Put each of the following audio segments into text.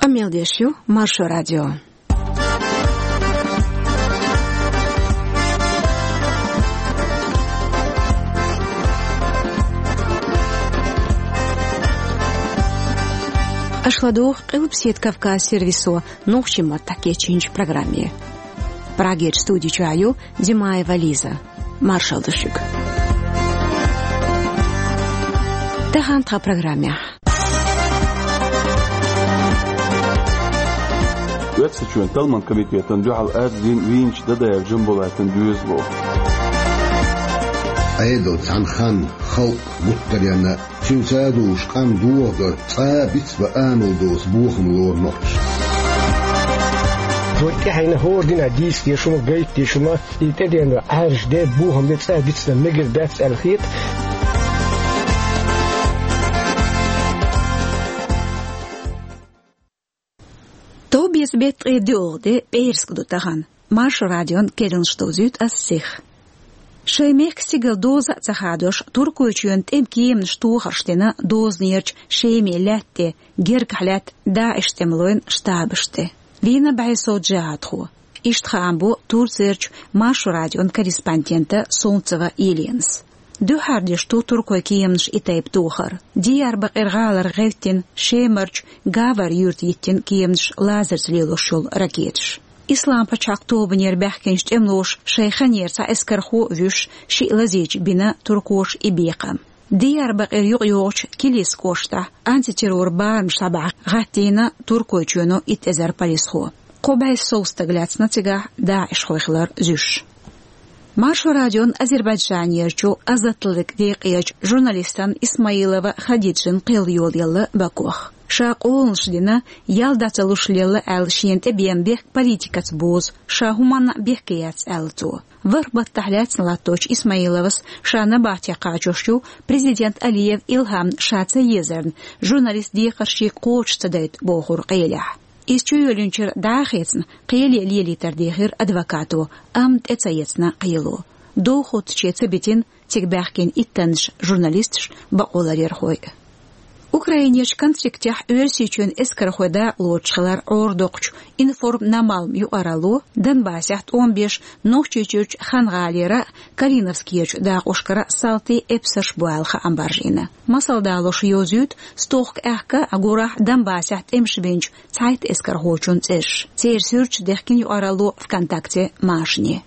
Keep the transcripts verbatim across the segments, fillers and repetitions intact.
Къамел деш ю Маршо радио. Аша ладугӀу Къилбаседа Кавказ сервисо нохчийн маттахь кечйинчу программе. Прагерчу студи чохь ю Димаева Лиза. Маршалла ду шуьга. Тахана тхан программехь. Оьрсийчоьнан талламан комитетана дуьхьал арз дина вийначу Дадаев Джамбулатан доьзало. Ӏедал цхьана ханна халкъ гуттаренна, цуьнца а долуш къам дохадо, цкъа а бицбан амал доцу бохам лору нохчаша. Вай тӀаьхьенна хӀора динахь дийца дезаш хӀума, гайта дезаш хӀума, и тӀедеана Ӏаьржа де, бохам бе цкъа а дицдан мегар дац аьлла хета. Товбеца беттан ткъе доьалгӀа де, пӀераска ду тахана. Маршо радион керланаш довзуьйту ас сиха. Шайн мехкан стигала доза а ца хадош, Туркойчоьнан тӀеман кеманаш тохарш дина дозанерчу Шеман лаьтта тӀе, гергахь лаьтта ДАИШ тӀемалойн штабаш тӀе. Вийна бӀе сов джихӀадхо. Иштта хаам бо Турцерчу Маршо радион корреспондента Солнцева Еленас. Дуьххьара деш ду туркойн кеманаш и тайпа тохар. Дияр-Бакъир гӀалара гӀевттина, Шемарчу Гавар юьрта йиттина кеманаш лазарца лелош йолу ракеташ. Ислам-пачхьалкх тобанера баьхкинчу тӀемалоша шайн ханера цхьа эскархо а вуьйш, шиъ лазийча бина туркоша и бекхам. Дияр-Бакъир юкъайогӀучу Килис кӀоштахь антитеррор барамаш схьабахьа гӀаттийна Туркойчоьно итт эзар полисхо. Кхо бӀе сов стаг лаьцна цигахь ДАИШхой хилар зуьйш. Маршо радион Азербайджанерчу «Азатлык» декъерчу журналистан Исмаилова Хадиджин кхел йолаелла Бакох. Ша къоланаш дина, ял дӀа ца луш лелла аьлла, шена тӀебеана бехк политикаца бозу, ша хӀуманна а бехке яц аьлла цо. ВорхӀ баттахь лаьцна латточу Исмаиловас ша набахте кхачош ю президент Алиев Илхьамна ша ца езарна, журналист декхар шега кхочуш ца дайта бохург къелехь. Иза чуйоьллинчуьра дӀа а хецна, кхеле лелийтар дийхира адвокато, амма тӀе ца эцна кхело. Довхоттаче ца битина цига баьхкина иттаннаш журналисташ, бакъоларъярхой а. Украинерчу конфликтехь Оьрсийчоьнан эскархой дакъалоцуш хилар Ӏорадоккхучу «Информ на Малм» юкъаралло Донбассехь тӀом беш Нохчийчуьрчу Хан-гӀалера а, Калиновскерчу дакъошкара а салтий, эпсарш бу аьлла хаам баржийна. Масал далош йовзуьйту стохка аьхка а, гурахь Донбассехь тӀемаш бинчу цхьайтта эскархочун цӀераш. Церан суьрташ дехкина юкъаралло ВКонтакте машане.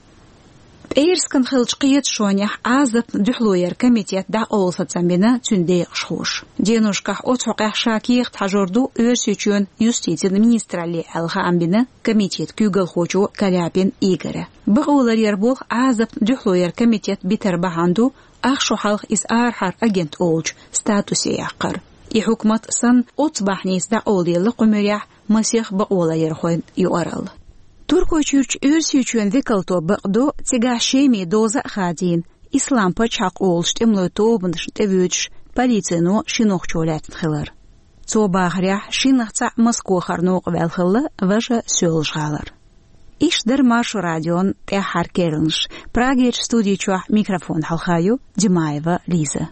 ПӀераскан хиллачу кхеташонехь Ӏазапна дуьхьало яран комитет дӀакъовла сацам бина цуьнан декъашхоша. Деношкахь оцу хьокъехь ша кехат хьажор ду Оьрсийчоьнан юстицин министралле аьлла хаам бина комитетан куьйгалхочо Каляпин Игоря. Бакъоларъяр болх Ӏазапна дуьхьало яран комитет битар бахьана ду, ах шо хьалха иза арахьара агент олучу статусе яккхар. И хьукмат санна, оццу бахьаница дӀакъовлаелла кху муьрехь масех бакъоларъярхойн юкъаралла. Туркойчуьрчу Оьрсийчоьнан векалто бакъдо, цигахь Шеман доза а хадийна, Ислам-пачхьалкх олучу тӀемалойн тобанашна тӀевоьдуш полицино ши нохчо лаьцна хилар. Цо бахарехь, шиннах цхьаъ Москохара новкъа ваьлла хилла, важа Соьлжа-ГӀалара. Иштта дара Маршо радион тӀаьххьара керланаш. Прагерчу студи чохь микрофон хьалха ю Димаева Лиза.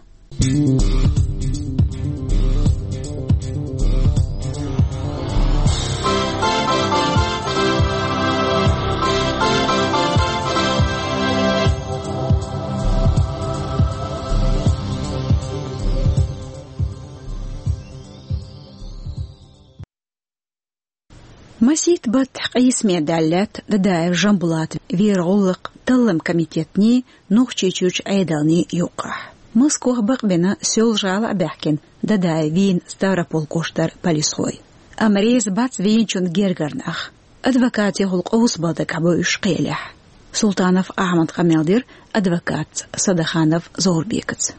Масийтта баттахь къийсаме даьлла лаьтта Дадаев Жамбулата вер гӀуллакх таллам комитетний, Нохчийчуьрчу Ӏедалний юккъахь. Москох бакъбина, Соьлжа-ГӀала а баьхкина, Дадаев вийна Ставрополь кӀоштара полисхой. Амма реза бац вийначун гергара нах. Адвокатехула къовсабала дагахь бу уьш кхелехь. Султанов Ахьмада къамел дира адвокатца Садаханов Зоврбекаца.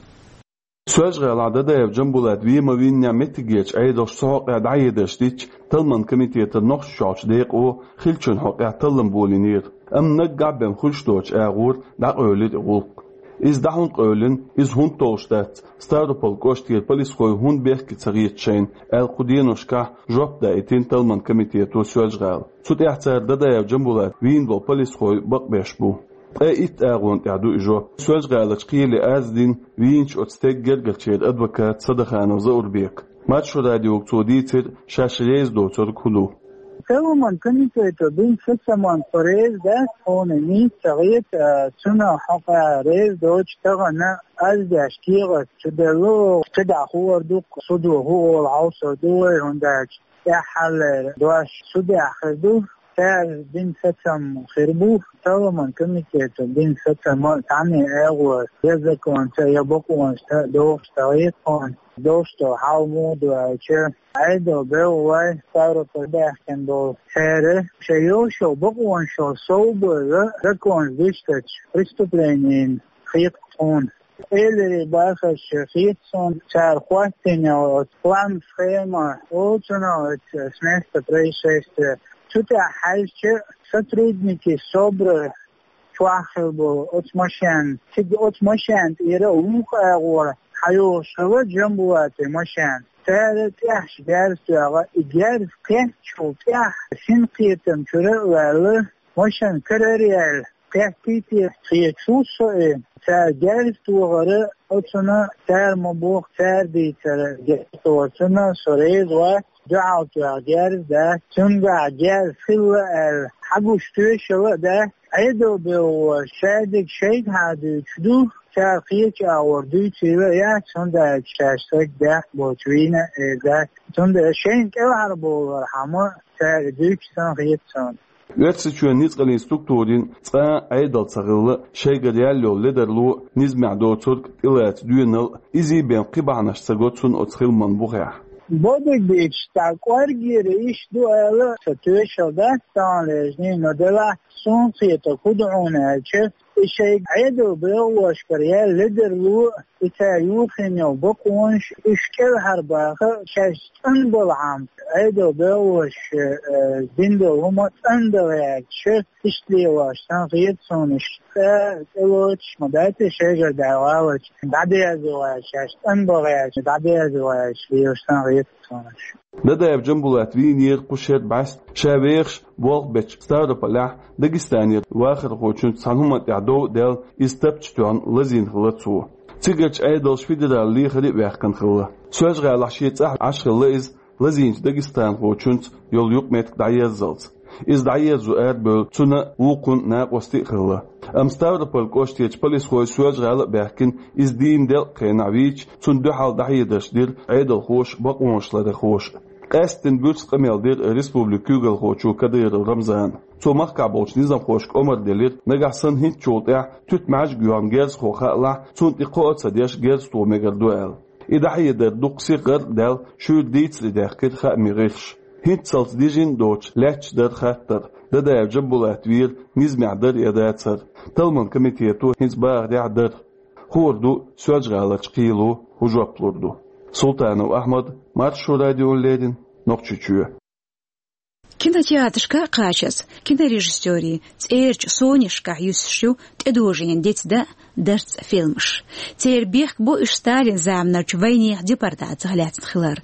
Соьлжа-ГӀалахь Дадаев Жамбулат вен ма виннехь меттигерчу Ӏедалша цу хьокъехь дӀахьедарш дича, талламан комитетан Нохчийчохьчу декъо хиллачун хьокъехь таллам болийнера. Амма наггахь а бен хуьлуш доцучу агӀор дӀакъевлира и гӀуллакх. Иза дӀа хӀунда къевлина, иза хӀунда толлуш дац, Ставрополь кӀоштера полисхой хӀунда бехке ца хета шайна, аьлла кху деношкахь жоп даийтина талламан комитето Соьлжа-ГӀала. Цу тӀехь цара Дадаев Жамбулат вийна болу полисхой бакъбеш бу. Ткъе итт агӀон тӀехь ду и жоп. Соьлжа-ГӀаларчу кхеле арз дина вийначу оцу стеган гергарчеран адвоката Садаханов Заурбека. Маршо радиога цо дийцира шаьш реза доцург хӀун ду. Парламент комитето бина сацаман тхо реза дац, хьуна нийса ца хета, цунах хьокъехь реза доцуш тахана аз деш кехат чу делла, кхидӀа хуур ду, судо хӀун олу хьовсур ду вай, хӀунда аьлча тӀаьххьарлера дош судехь хир ду. Цара бина сацам хир бу, парламент комитето бина сацам а цхьанне агӀор, я законца, я бакъонца а дохуш ца хета хьуна. Дош долу хьал муха ду аьлча, Ӏедал белхалой, Ставрополь баьхкина болу цара, шайн йолуш йолу бакъонаш совбевлла, законца дуьстича преступленина хета тхуна. Элира бахарш хета суна, цара хӀоттийна йолу оцу план, схема, оцунах оцу с места происшествия. Цу тӀехь хьаьжча, сотрудники СОБРа чохь хилла болу оцу машен, цига оцу машен тӀера вукху агӀора хьайогӀуш хилла Джамбулатан машен. Цара тӀехь герз тоьхна, и герз кхеттачул тӀаьхьа синкхетам чуьра а ваьлла, машен карара яьлла, кхеттий те хеташ ву со и. Цара герз тохара оцунна, цара ма боху, цара дийцара герз тохарна со реза вац, дуьхьал тоьхна герз дац, цуьнгахь герз хилла аьлла хьагуш тоьшалла а дац. Ӏедал белхалой шадерг шайгахьа дуьйцуш ду, цара кхечу агӀор дуьйцийла а яц, хӀунда аьлча шаьш стаг даккха боцуш вийна а эр дац. Цундела шайна кӀелхьарбовлархьама цара дуьйцуш санна хета суна. Оьрсийчоьнан ницкъаллин структурийн цкъа а Ӏедал ца хилла, шайгара яьлла йолу ледарло, низамехь доцург тӀелаца доьналла, изий бен кхин бахьанаш ца го цунна оцу хиламан бухехь. Бобиг бийцаш дӀа кӀоргера йиш ду ала сан тоьшалла дац, тахана лежний, но делахь суна кхетарг хӀун ду хьуна аьлча, и шайн Ӏедал белхалошкара яьлла ледарло, и цара юхийна йолу бакъонаш, уьш кӀелхьарбаха, шаьш цӀанбалхьама, Ӏедал белхалоша, э, дина долу хӀума цӀандала гӀерташ, иштта лелош санна хета суна уьш. ЦӀа тӀелоцуш ма дац и шайгара дӀаваллалц, дӀадерзо гӀерташ, шаьш цӀанбала гӀерташ, дӀадерзо гӀерташ лелаш санна хета суна уьш. Дадаев Джамбулат вийнера кху шеран бӀаьста, ша вехаш болх бечу Ставрополехь Дагестанера вахархочуьнца цхьана хӀуманна тӀехь дов а даьлла, иза тапча тоьхна лазийна хилла цо. Цигарчу Ӏедалша федералан лехаре а ваьккхина хилла. Соьлжа-ГӀалахь шен цӀахь Ӏаш хилла иза, лазийначу дагестанхочуьнца йолу юкъаметтиг дӀаерзалц. Иза дӀаерзо арабевлла цуьнан а, вукхун а накъостий а хилла. Амма Ставрополь кӀоштарчу полисхой Соьлжа-ГӀала а баьхкина, иза дийна делкъа хенахь вийча, цунна дуьхьал дӀахьедарш дира Ӏедалхоша а, бакъонашларъярхоша а. Къаьсттина буьрса къамел дира республикан куьйгалхочо Кадыров Рамзана. Цо махкахь болчу низамхошка омра делира, нагахь санна хӀинцачул тӀаьхьа туьта маьждиг йоьхна герзахо хаалахь, цунна тӀе кхоо а ца деш, герз тухо мегар ду аьлла. И дӀахьедар дукха сиха гӀар а даьлла, шуьйра дийцаре даьккхира хаамийн гӀирсаша. ХӀинццалц дижина а доцуш, лаьтташ дара хаттар: Дадаев Джамбулат вийра низамехь дара я дацара? Талламан комитето хӀинца бахарехь а дара. Хуур ду, Соьлжа-ГӀаларчу кхело хӀун жоп лур ду. Султанов Ахьмад, Маршо радиона леррина, Нохчийчоь. Кинотеатрашка а кхачаза, кинорежиссерийн, цӀерачу сонашкахь юьсуш ю тӀедожийна дицдан, дарцан фильмаш. Церан бехк бу уьш Сталинан заманарчу вайнехан депортацех лаьцна хилар.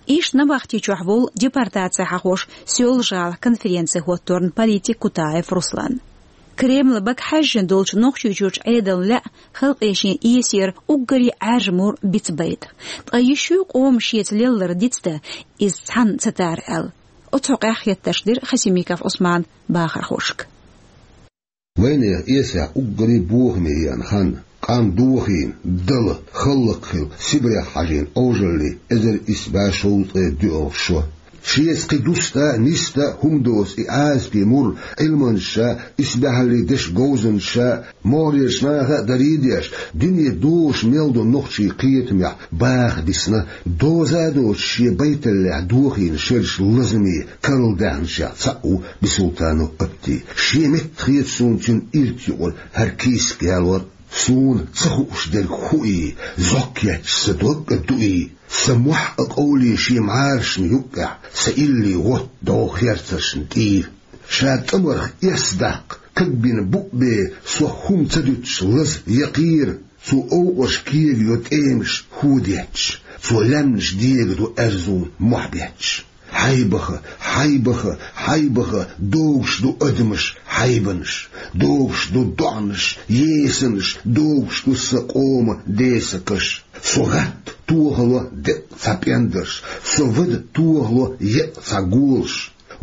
Иштта набахти чохь волу депортацехь хьахош Соьлжа-ГӀалахь конференци хӀотторна политик Кутаев Руслан. Кремлан бага хьаьжжина долчу Нохчийчуьрчу Ӏедална лаьа халкъе шен эсера уггаре Ӏаьржа мур бицбайта. Ткъа йиш ю къоман шеца лелларг дицдан, иза цхьанна ца тара аьлла? Оцу хьокъехь хеттарш дира Хасимиков Ӏусмана бахархошка. Вайнехан эсехь уггаре бохаме еана хан, къам дохийна, дала, хӀаллакьхилла, Сибрех хьажийна Ӏожаллин эзар исс бӀе шовзткъе доьалгӀа шо. Шеца кхин дуста а, ниста а хӀума доцу и Ӏазапе мур Ӏилманчаша, исбаьхьаллин дешан говзанчаша, могӀарерчу наха а дарий а деш, дуьне дозуш мел долу нохчийн кхетамехь баха дисна, доза а доцуш шен байталлехь дохийна шераш лазаме карладаьхначех цхьаъ ву Бисултанов Апти. Шен метта хета суна цуьнан ирт юкъара хӀара кийсак ялор. Суна ца хууш дерг хӀун и, зӀок етташ сан дог а дуий, сан мохь а къовлий шен мӀарашна юккъехь, сан илли гӀотта догӀу херцаршна тӀийра. Ша тӀамарх эс даккха, кагбина букъ бен сох хӀума ца дуьтуш лаза я кхера, цо овкъарш кегайо тӀемаш хӀу детташ, цо лаьмнаш дегадо аьрзун мохь бетташ. Хьайбаха, хьайбаха, хьайбаха, догуш ду адамаш хьайбанаш, догуш ду доӀанаш, есанаш, догуш ду сан къоман десакаш. Со гӀатта Тохало деа цхьа пӀендарш, со вада тохало еа цхьа голаш.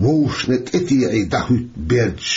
Вовшашна тӀетеӀий дӀахӀуьтту бердаш,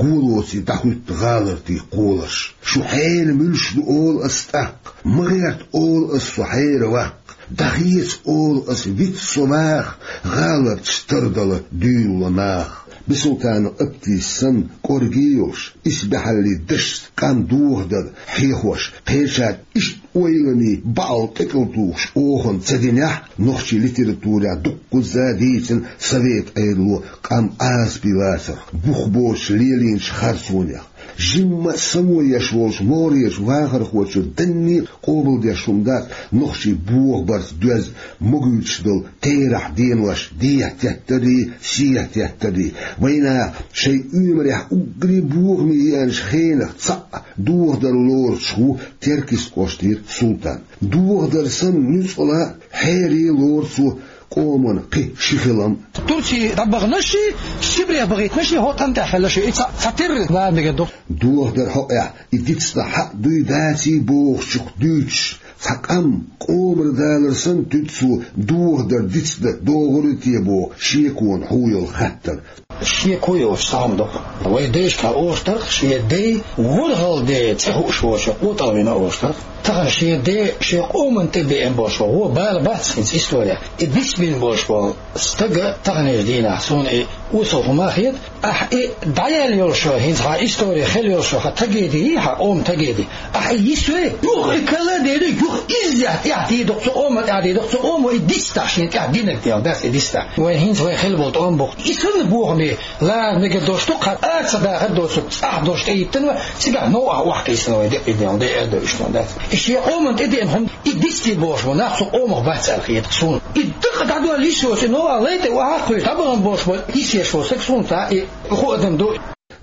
голоций дӀахӀуьтту гӀалартий кхоларш. Шу хьенан муьлш ду олу ас тӀаккха, ма гӀерта олу ас со хьеран ваккха, дӀахеца олу ас виц со ваха, гӀаларчаш тардала дуьйна наха. Бисултанов Аптис санна кӀорге йолуш, исбаьхьаллин дашца къам дохадар хьехош, кхечара иштта ойланийн баӀал тӀекӀалтухуш охана ца динехь, нохчийн литературехь дуккхузза а дийцина совет Ӏедало къам Ӏазапе лацарх, бух боцуш лелийначу харцонех. Жимма а само еш волчу могӀарерчу вахархочо данне а къобалдеш хӀума дац нохчий бохабарца доьзна могуьйтуш долу терахь денош дехьа теттарий, сехьа теттарий. Вайнаха шайн оьмарехь уггаре бохаме еанчу хенах цхьаъ дохадар лоруш ву Теркйист кӀоштара Султан. Дохадар санна нуьцкъала хьере лору цо къоман кхин ши хилам. Турци дӀабаханаши, Сибрех бахийтинаши хӀокху тӀам тӀехь хилла шу. И цхьа, цхьатерра лара мегар ду. Дохадар хьокъехь и дицдан хьаъ дуй даций бохучух дуьйцуш, цхьа къам къомара далар санна туьду цо дохадар дицдан догӀур ю те боху шеконан хьу йолу хаттар. Шеко йоцуш цхьа хӀума ду. Вай дайшкахь олуш дара, шен ден ворхӀалгӀа ден цӀе хууш волчо къотӀалвина олуш дара. Тахана шен ден шен къоманна тӀе беана болуш ву, бала бац хӀинца история. И дицбина болуш болу стага таханлерчу дийнахь суна и осал хӀума хета. Ахь и дӀаяьлла йолуш, хӀинца хьан истори хила йолуш, хьан тагеди, хьан къоман тагеди. Ахьа йисве, юха и кала а дели, юха иззехь тӀехь дийдакх цу къома, тӀехь дийдакх цу къома, и дистахь шен тӀехь динарг дела дац и дистахь. Вай хӀинца вай хила болу тӀом бу. И санна бохаме лара мегар долуш ду, кхара а ца дахар доцург, цӀахь долуш тӀеиттина, цигахь новкъахь охьакхийсина вай декъий дела, декъий а до иштта дац. И шен къоман тӀедеана хӀума, и дисте бохуш бу, нах цу къомах бац аьлла хетахь суна. И дакъа дӀадолла йиш йоцу, и новкъахь лай тӀе охьа а кхуьйсу, дӀабахана бохуш бу, йисъеш волу стаг суна цхьа и хуу адам ду.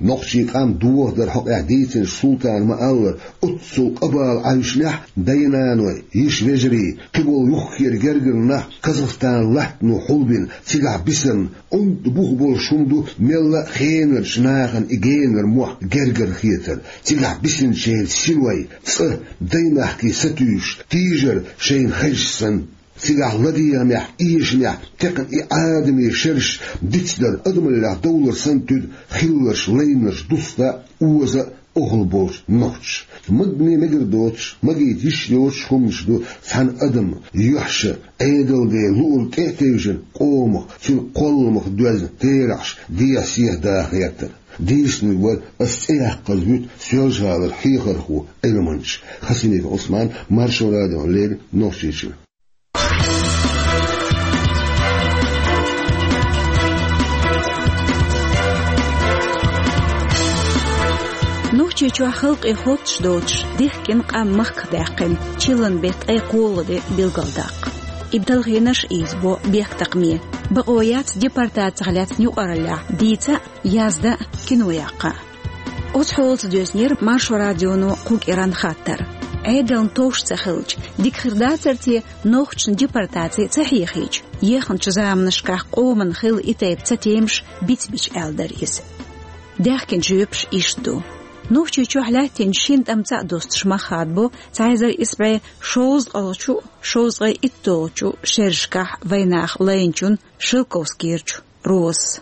Нохчийн къам дохадар хьокъехь дийцинчу Султана ма-аллара, оццул къа-бала Ӏаьвшинехь, дай-наной, йиша-вежарий, кхиболу юххера гергара нах Казахстан латтано хьулбина, цигахь бисарна онда бух болуш хӀума ду мелла а хенарчу нахана и генара мохь гергара хетар, цигахь бисинчеран синой, цӀа, дай-махкий сатуьйсуш, тийжар шайна хезаш санна. Цигахь ладегӀамехь, эшамехь текхна и Ӏадаме шераш дицдар адамаллех довлар санна туьду хилларш, лайнарш дуста а, оза а охьа болчу нохчаша. Магане мегар доцуш, магийта йиш йоцуш хӀуманаш ду цхьана адаман юьхьша, Ӏедалан ден луург тӀе а тевжина, къомах, цуьнан кхолламах доьзна терахьаш дехьа-сехьа даха гӀертар. Дийцинарг вара ас цӀе яккхаза вуьту Соьлжа-ГӀалара хьехархо, Ӏилманча Хасимиков Ӏусман, Маршо радиона леррина Нохчийчуьра. Нохчийчохь халкъе хоттуш доцуш, дихкина къам махках даьккхина, чиллан беттан ткъе кхоалгӀа де билгалдаккха. И талхийнарш ийзабо бехктакхаме. Бакъо яц депортацих лаьцна юкъараллехь дийца а, язда а, кино яккха а. Оцу хьолаца доьзнера Маршо радионо кху кӀиранан хаттар. Ӏедална товш ца хилча, дика хир дацара те, нохчашна депортаци ца хьехийча, ехначу заманашкахь къоман хилла и тайпа цатемаш бицбича, аьлла дара иза. Даьхкинчу жоьпаша иштта ду. Нохчийчохь лаьттинчу шина тӀамца а достуш мах хадабо цхьа эзар исс бӀе шовзткъалгӀачу, шовзткъе итталгӀачу шерашкахь вайнах лайначун Шелковскийрачу Розас.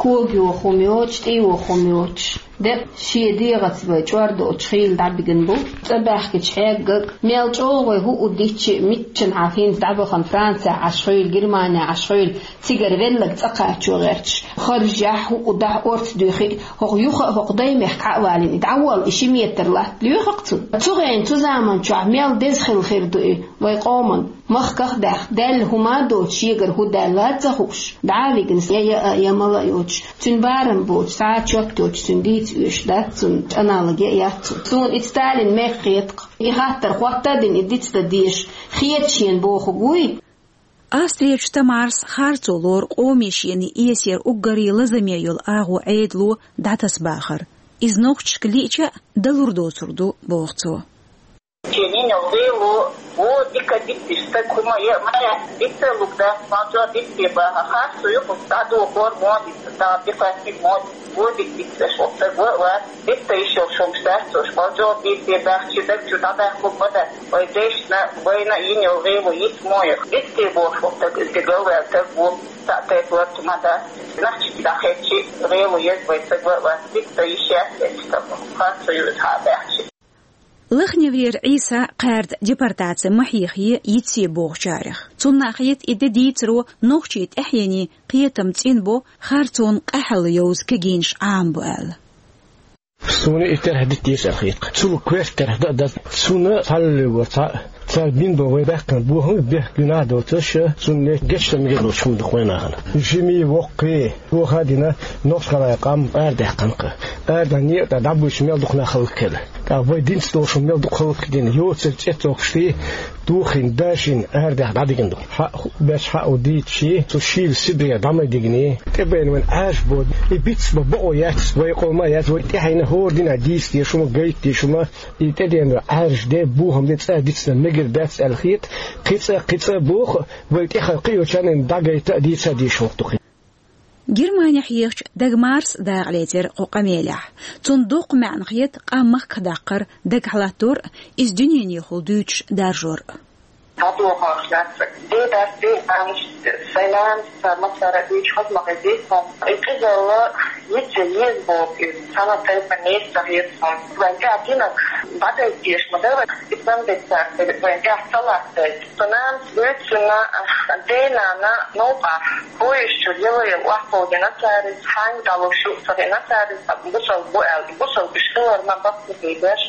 Кога йоху хӀума йоцуш, тӀе йоху хӀума йоцуш, декъа шен дегӀаца вай чӀор доцуш хийла дӀабигина бу. ЦӀа баьхкича хьегга а, мел чӀогӀа вай хӀуъу дитча а, миччанхьа хӀинца дӀабахана Францехь Ӏаш хуьйла, Германехь Ӏаш хуьйла, цигара велларг цӀа кхачо гӀерташ, харжехь, хӀуъу дахь орца дуьйхи а, хӀокху юха а, хӀокху даймехкан Ӏа а валийна, и дӀаволла, и ши метр латта лоьху-кх цунна. Цу хенахь, цу заманчохь мел деза хилла хир ду и вай къоман. Махках а даьхна, даьлла хӀума а доцуш, шегара хӀун даьлла а ца хууш, дӀа а вигна, я яа, я мала а йоцуш, цуьнан барам боцуш, цхьа а чот йоцуш, цуьнан дийца оьшуш дац цунна, аналог а яц цунна. Суна и Сталин мега хета-кх. И хаттар хӀотта а дина, и дицдан дезаш хета шена бохург вуй? Австрерчу Тамарас харцо лору къоме шена эсера уггаре лазаме йолу агӀо Ӏедало дӀатасабахар. Иза нохчашка лиъча а, далур доцур ду, боху цо. Шен йинал лело вон дика Биттиш стаг хӀума е ма яц, битта лугда, мазо битте баха, хасу юху, дадо хор моди, да бихати мод, води битта шо стаг ва, ва, битта ишо шум штарцуш, мазо битте бахчи даг чу дада хубада, ой дешна, вайна иньо гъилу ит моя, битте бо шо стаг, изге галва стаг бу, са те плат мада, нахчи дахечи, гъилу ез вай стаг ва, ва, битта ишя, хасу юху, ха бахчи. Лахневрера Ӏийса кхаьрда депортаци ма хьехае йицъе бохучарех. Цунна хета и де дийцаро нохчий тӀаьхьений кхетам цӀинбо, харцонна къаьхьалла йовза кегийнаш Ӏамбо аьлла. Суна и терхьа дитта деза аьлла хеташ. Цул коьрта терхьа да а дац. Суна цхьалле вар цхьа, цар бин бо вай баьккхина бохам бехк гуьнахь доцуш, цунна гечдам мегар долчу хӀума ду вайнахана. Жимий, воккхий, тоха а дина, нохчхалай къам арадаьккхина-кх. Арадаьхна некъа тӀа дӀабуьйцуш мел дукха нах хӀаллакьхилла. ТӀаккха вай динца долуш мел дукха хӀаллакьдина, йоцург цӀе а цоккхуш дий, тухийна, дашийна арадаьхна дӀадигна ду. Хьаъ хӀу беш хьаъ ву дийцчий, цу шийла Сибрех дӀа ма дигний. ТӀебайна вайн Ӏаьржа бо, и бицбан бакъо яц, вай къоман а яц, вай тӀаьхьенна хӀора динехь дийца дезаш хӀума, гайта дезаш хӀума, и тӀедеана Ӏаьржа де, бохам де цӀа дицдан мегар дац аьлла хета, кхин цкъа, кхин цкъа боху, вай тӀехьа кхиочарна дӀагайта а, дийца а дезаш хӀума ду-кх. Германехь ехачу Дагмарс дакъа лецира кху къамелехь. Цунна доккха маьӀна хета къам махках даккхар, дагахь латтор а, иза дуьненехула дуьйцуш даржор а. Дадохош лаьцна. Дедас, ден амш, сайн нанас, сан массара а дуьйцуш хаза ма хезий суна. И къизалла йицца еза боху иза. Цхьана тайпа несах еза суна. Вайн тӀехь динах дӀадайтеш ма дара, и сан бетта, вайн тӀехь ца латтайта. Сан нанас дуьйцу суна, ден нана новкъахь. Поезд чуьра яла-яла охьакховдина цара иза, хьаьнга дӀалуш ю ца хиъна цара иза, бусалба бу аьлла. Бусалба уьш хиларна баккхий беш,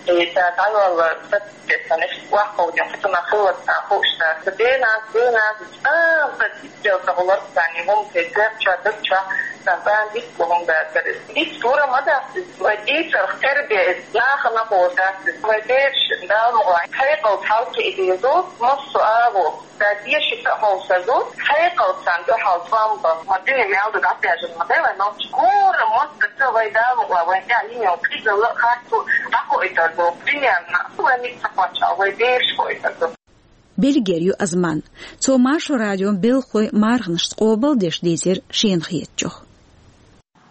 и ца дӀайолла саццетана, иштта охьакховдина, кхин цунах хилла царна хууш цара. Дена, дена, а, сан дитт дел ца гӀуларца царна и хӀума тӀе, коьртачохь, дагчохь, сан царна дитт бу хӀума дацара иза. Дитт лура ма дац иза, вай дийцарх тера бе иза, нахана хӀора дац иза. Вай бераш, Дала мукълахь, хьекъалца хьалкхиа деза, массо а агӀо. Сан дешица а хьовсазу, хьекъалца царна дуьхьал тӀом бан, ма дуьне мел ду дӀатаьржина ма дай вай нохчий. ХӀора мостагӀа вай Дала мукъла вайн тӀехь йина йолу къизалла а, харцо а дӀакхоуьйтур ду. Примерно, вай мига ца кхоччу, вай бераш кхоуьйтур ду. Бельгера ю Азман. Цо Маршо радион белхалойн марханашца къобалдеш дийцира шена хетачух.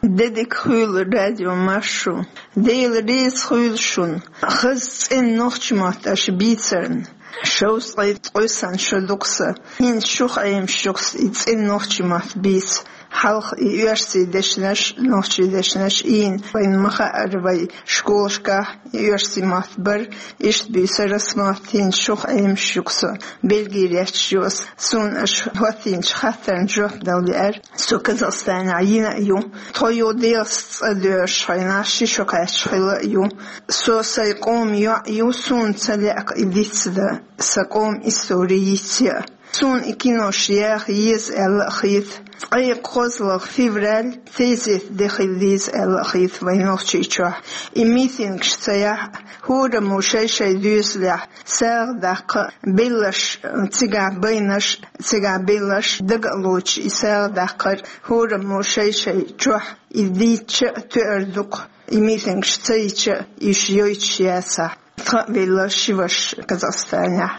Де дика хуьлда, радио Маршо. Дела реза хуьлда шуна. Хаза цӀена нохчийн мотт аша бийцарна. Шовзткъе ткъе сан шо ду-кх сан. ХӀинца шух Ӏемаш ю-кх сан и цӀена нохчийн мотт бийца. Хьалха и оьрсийн дешнаш, нохчийн дешнаш ийна, вайна ма хаьара, вай школашкахь и оьрсийн мотт бара, иштта буьйцура сан мотт, хӀинца шух Ӏемаш ю-кх сан. Бельгера етташ ю ас. Суна аша хӀоттийначу хаттарна жоп дала лаьара. Со Казахстанехь йина а ю. Тхо юха Делаца цӀа доьрзуш хьайна, ши шо кхаьчча хилла а ю. Со сайн къоман йоӀ ю, суна ца лаьа-кх и дицдан, сан къоман истори йицъян. Суна и кинош яха еза аьлла а хета. Ткъе кхозлагӀа февраль тезета де хила деза аьлла а хета вайн Нохчийчохь. И митингаш ца яхь а, хӀораммо шай-шай доьзалехь сагӀа даккха а, белларш, цигахь байнарш, цигахь белларш дага а лоцуш и сагӀа даккхар, хӀораммо шай-шай чохь и дийцча а тоьар ду-кх, и митингаш ца йича а, уьш йойтуш яцахь. Тхан а велла ши ваша Казахстанехь.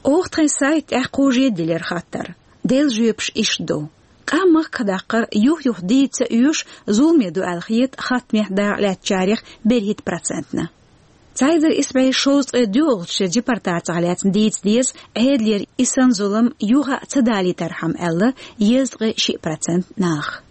Оха тхайн сайта тӀехь кхужий дилира хаттар. Делан жоьпаш иштта ду. Къам махках даккхар юх-юха дийца а оьшу зуламе ду аьлла хета хаттамехь дакъа лаьцначарех берхӀитта процентна. Цхьа эзар исс бӀе шовзткъе доьалгӀачу шеран депортацех лаьцна дийца деза, Ӏедалера и санна зулам юха а ца далийтархьама аьлла, дезткъе шиъ процент наха.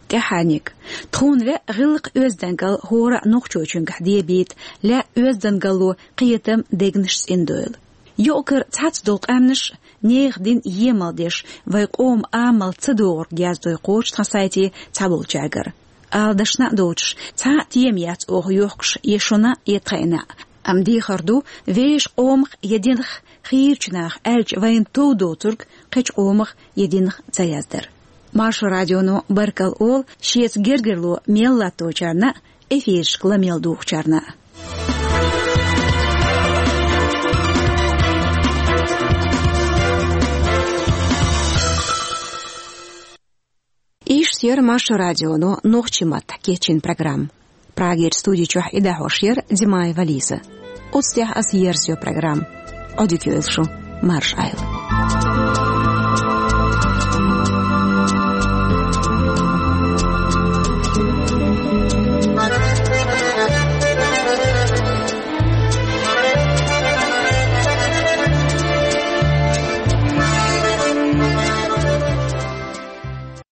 ТӀаьхьарниг. Тхуна лаьа гӀиллакх-оьздангалла хӀора а нохчочуьнгахь дебийта, лаьа оьздангалло кхетам, дегнаш цӀиндойла. Юкъ-кара цхьацца долу къаьмнаш, нехан дин емал деш, вайн къоман амал ца догӀург яздой кхочу тхан сайте цхьаболчаьргара. Ала дашна а доцуш, цхьа а тема яц оха йохкуш я шуна, я тхайна а. Амма дехар ду, вешан къомах я динах хийрачу наха аьлча, вайна тов доцург кхечу къомах я динах ца яздар. Маршо радионо баркалла олу шеца гергарло мел латточарна а, эфирашка ла мел духучарна а. Иштта яра Маршо радионо нохчийн маттахь кечйина программа. Прагерчу студи чохь и дӀахьош яра Димаева Лиза. Оцу тӀехь аса ерзайо программа. Одит ю эйл шу. Марш айл.